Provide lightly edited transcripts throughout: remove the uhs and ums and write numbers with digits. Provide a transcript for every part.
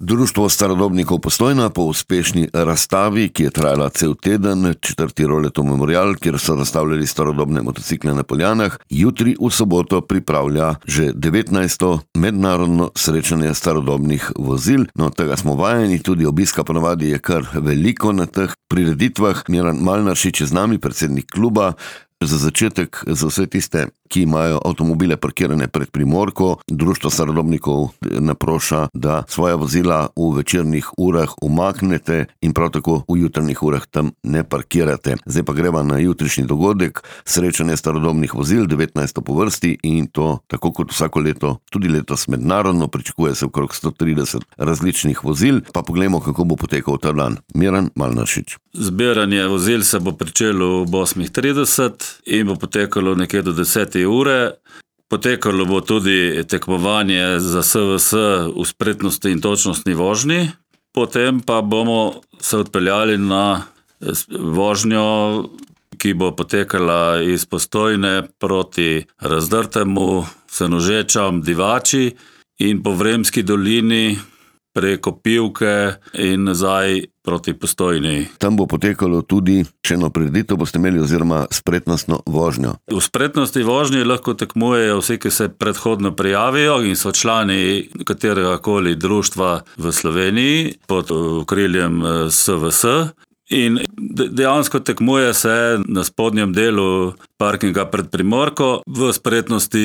Društvo starodobnikov Postojna po uspešni razstavi, ki je trajala cel teden, 4. Roletov memorial, kjer so razstavljali starodobne motocikle na Poljanah, jutri v soboto pripravlja že 19. mednarodno srečanje starodobnih vozil. No, tega smo vajeni, tudi obiska ponavadi je kar veliko na teh prireditvah. Miran Malnaršič je z nami, predsednik kluba. Za začetek, za vse tiste, ki imajo avtomobile parkirane pred Primorko, Društvo starodobnikov naproša, da svoja vozila v večernih urah umaknete in prav tako v jutranjih urah tam ne parkirate. Zdaj pa greva na jutrišnji dogodek, srečanje starodobnih vozil, 19. po vrsti, in to tako kot vsako leto, tudi letos mednarodno, pričakuje se okrog 130 različnih vozil. Pa poglejmo, kako bo potekal ta dan. Miran Malnaršič. Zbiranje vozil se bo pričelo ob 8:30 in bo potekalo nekje do 10. ure. Potekalo bo tudi tekmovanje za SVS v spretnosti in točnostni vožnji. Potem pa bomo se odpeljali na vožnjo, ki bo potekala iz Postojne proti Razdrtemu, Senožečam, Divači in po Vremski dolini preko Pivke in nazaj proti Postojni. Tam bo potekalo tudi še eno prireditev, boste imeli, oziroma spretnostno vožnjo. V spretnosti vožnje lahko tekmujejo vsi, ki se predhodno prijavijo in so člani katerega koli društva v Sloveniji pod okriljem SVS. In dejansko tekmuje se na spodnjem delu parkinga pred Primorko. V spretnosti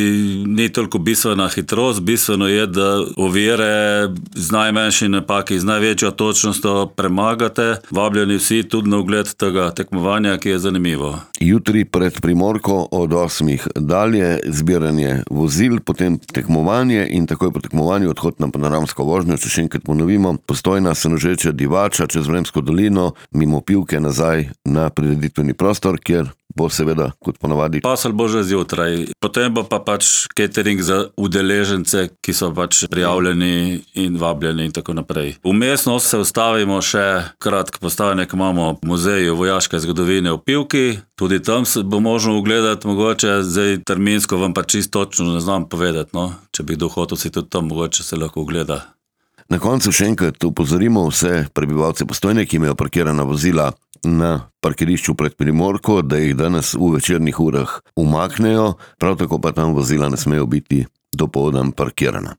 ni toliko bistvena hitrost, bistveno je, da ovire z najmanjšimi napaki, z največjo točnostjo premagate. Vabljeni vsi tudi na ogled tega tekmovanja, ki je zanimivo. Jutri pred Primorko od 8. dalje zbiranje vozil, potem tekmovanje in takoj po tekmovanju odhod na panoramsko vožnjo, če še enkrat ponovimo, Postojna, Senožeče, Divača, čez Vremsko dolino, mimo Pivke nazaj na prireditveni prostor, kjer bo seveda, kot ponavadi, pasal bo že zjutraj. Potem bo pa catering za udeležence, ki so prijavljeni in vabljeni in tako naprej. Vmesno se ustavimo še kratko postanek, imamo v muzeju vojaške zgodovine v Pivki, tudi tam se bo možno ugledati, mogoče zdaj terminsko vam pa čisto točno ne znam povedati, no. Če bi kdo hotel si tudi tam, mogoče se lahko ugleda. Na koncu še enkrat opozorimo vse prebivalce Postojne, ki imajo parkirana vozila na parkirišču pred Primorko, da jih danes v večernih urah umaknejo, prav tako pa tam vozila ne smejo biti dopoldan parkirana.